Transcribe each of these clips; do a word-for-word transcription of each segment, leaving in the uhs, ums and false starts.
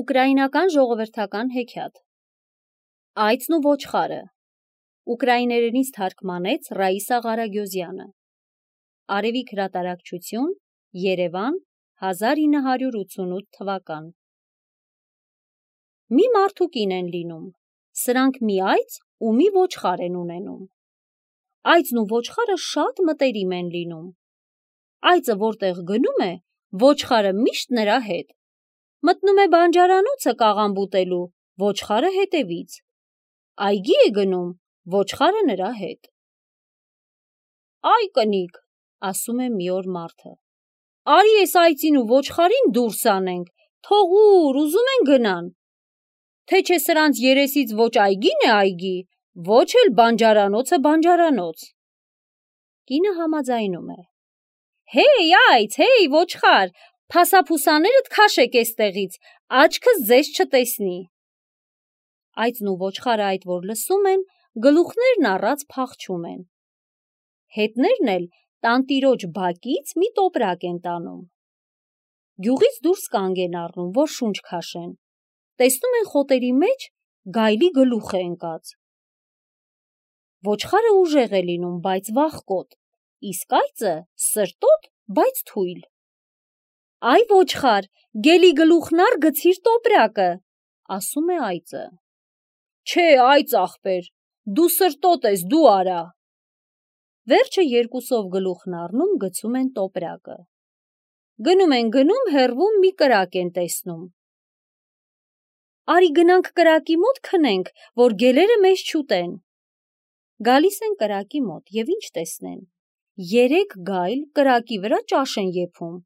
Ուկրաինական ժողովրդական հեքիաթ Այծն ու ոչխարը ուկրաիներենից թարգմանեց Ռաիսա Ղարագյոզյանը Արևիկ հրատարակչություն Երևան հազար ինը հարյուր ութսունութ թվական Մի մարդու կին են լինում, սրանք մի այծ ու մի ոչխար են ունենում։ Այծն ու ոչխարը շատ մտերիմ են լինում։ Այծը որտեղ գնում է, ոչխարը միշտ նրա հետ։ Մտնում է բանջարանոցը կաղամ բուտելու, ոչխարը հետևից։ Այգի է գնում, ոչխարը նրա հետ։ Այ կնիկ, ասում է մի օր մարդը, արի էս այծին ու ոչխարին դուրս անենք, թողուր, ուզում են գնան։ Թե չէ սրանց երեսից ոչ այգին է այգի, ոչ էլ բանջարանոցը բանջարանոց։ Կինը համաձայնում է. Հեյ այծ, հեյ ոչխար, փասափուսաներդ քաշեք էստեղից, աչքս ձեզ չտեսնի։ Այծն ու ոչխարը այդ որ լսում են, գլուխներն առած փախչում են։ Հետներն էլ տանտիրոջ բակից մի տոպրակ են տանում։ Գյուղից դուրս կանգ են առնում, որ շունչ քաշեն։ Տեսնում են խոտերի մեջ գայլի գլուխ է ընկած։ Ոչխարը ուժեղ է լինում, բայց վախկոտ, իսկ այծը սրտոտ, բայց թույլ։ Այ ոչխար, գելի գլուխն առ գցիր տոպրակը, ասում է այծը։ Չէ, այծ ախպեր, դու սրտոտ ես, դու արա։ Վերջը երկուսով գլուխն առնում գցում են տոպրակը։ Գնում են գնում, հեռվում մի կրակ են տեսնում։ Արի գնանք կրակի մոտ քնենք, որ գելերը մեզ չուտեն։ Գալիս են կրակի մոտ և ինչ տեսնեն։ Երեք գայլ կրակի վրա ճաշ են եփում։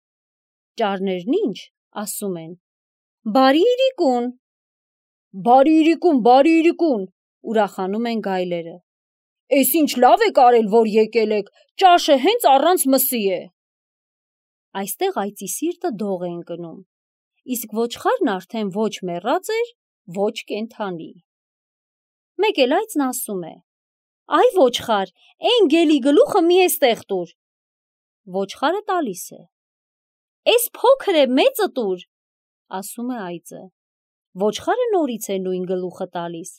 Ճարներն ինչ, ասում են. Բարի իրիկուն։ Բարի իրիկուն, բարի իրիկուն, ուրախանում են գայլերը։ Էս ինչ լավ եք արել, որ եկել եք, ճաշը հենց առանց մսի է։ Այստեղ այծի սիրտը դող է ընկնում, իսկ ոչխարն արդեն ոչ մեռած էր, ոչ կենդանի։ Մեկ էլ այծն ասում է. Այ ոչխար, էն գելի գլուխը մի էստեղ տուր։ Ոչխարը տալիս է։ Էս փոքր է, մեծը տուր, ասում է այծը։ Ոչխարը նորից է նույն գլուխը տալիս։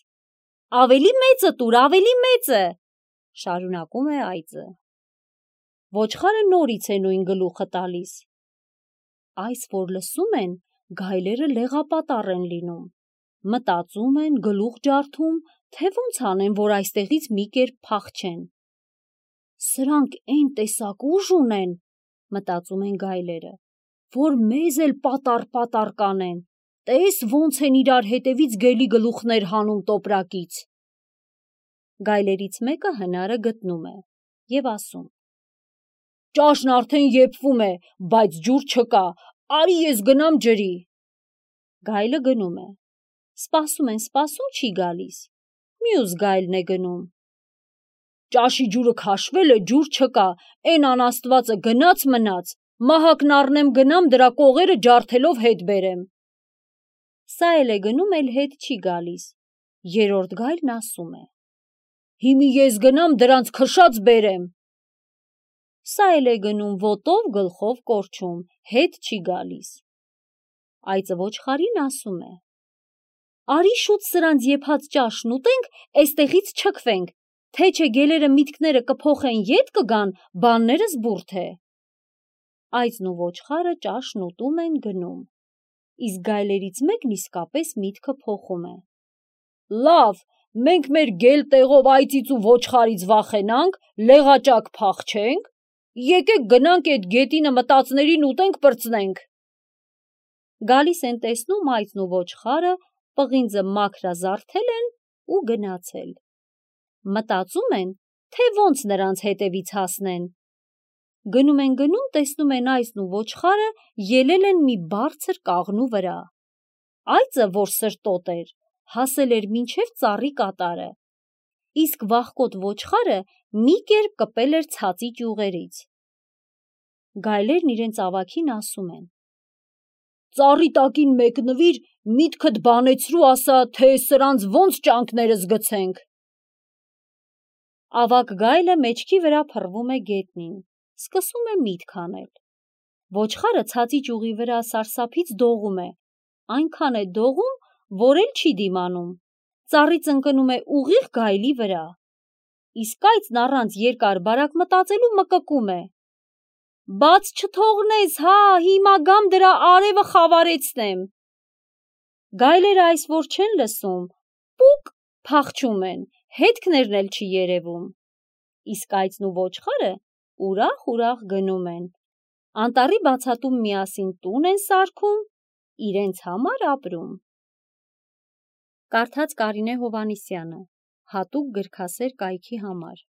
Ավելի մեծը տուր, ավելի մեծը, շարունակում է այծը։ Ոչխարը նորից է նույն գլուխը տալիս։ Այս որ լսում են, գայլերը լեղապատառ են լինում։ Մտածում են, գլուխ ջարդում, թե ոնց անեն, որ այստեղից մի կերպ փախչեն։ Սրանք էն տեսակ ուժ ունեն, մտածում են գայլերը, որ մեզ էլ պատառ-պատառ կանեն, տես ոնց են իրար հետևից գելի գլուխներ հանում տոպրակից։ Գայլերից մեկը հնարը գտնում է և ասում. Ճաշն արդեն եփվում է, բայց ջուր չկա, արի ես գնամ ջրի։ Գայլը գնում է, սպասում են, սպասում չի գալիս, մյուս գայլն է գնում։ Ճաշի ջուրը քաշվել է, ջուր չկա, էն անաստվածը գնաց մնաց, մահակն առնեմ գնամ դրա կողերը ջարդելով հետ բերեմ։ Սա էլ է գնում, էլ հետ չի գալիս, երրորդ գայլն ասում է. Հիմի ես գնամ դրանց քշած բերեմ։ Սա էլ է գնում, ոտով գլխով կորչում, հետ չի գալիս։ Այծը ոչխարին ասում է. Արի շուտ սրանց եփած ճաշն ուտենք, էստեղից չքվենք, թե չէ գելերը միտքները կփոխեն ետ կգան, բաններս բուրդ է։ Այծն ու ոչխարը ճաշն ուտում են գնում, իսկ գայլերից մեկն իսկապես միտքը փոխում է։ Լավ, մենք մեր գել տեղով այծից ու ոչխարից վախենանք, լեղաճակ փախչենք, եկեք գնանք էդ գետինը մտածներին ուտենք պրծնենք։ Գալիս են տեսնում այծն ու ոչխարը պղինձը մաքրազարդել են ու գնացել։ Մտածում են, թե ոնց նրանց հետևից հասնեն։ Գնում են գնում, տեսնում են այծն ու ոչխարը ելել են մի բարձր կաղնու վրա։ Այծը, որ սրտոտ էր, հասել էր մինչև ծառի կատարը, իսկ վախկոտ ոչխարը մի կերպ կպել էր ցածի ճյուղերից։ Գայլերն իրենց ավագին ասում են. Ծառի տակին մեկնվիր, միտքդ բանեցրու ասա, թե սրանց ոնց ճանկներս գցենք։ Ավագ գայլը մեջքի վրա փռվում է գետնին, սկսում է միտք անել։ Ոչխարը ցածի ճյուղի վրա սարսափից դողում է, այնքան է դողում, որ էլ չի դիմանում, ծառից ընկնում է ուղիղ գայլի վրա, իսկ այծն առանց երկար բարակ մտածելու մկկում է. «Բաց չթողնես, հա, հիմա գամ դրա արևը խավարեցնեմ»։ Գայլերը այս որ չեն լսում, պուկ փախչում են, հետքներն էլ չի երևում, իսկ այծն ու ոչխարը ուրախ-ուրախ գնում են, անտառի բացատում միասին տուն են սարքում, իրենց համար ապրում։ Կարդաց Կարինե Հովհաննիսյանը, հատուկ գրքասեր կայքի համար։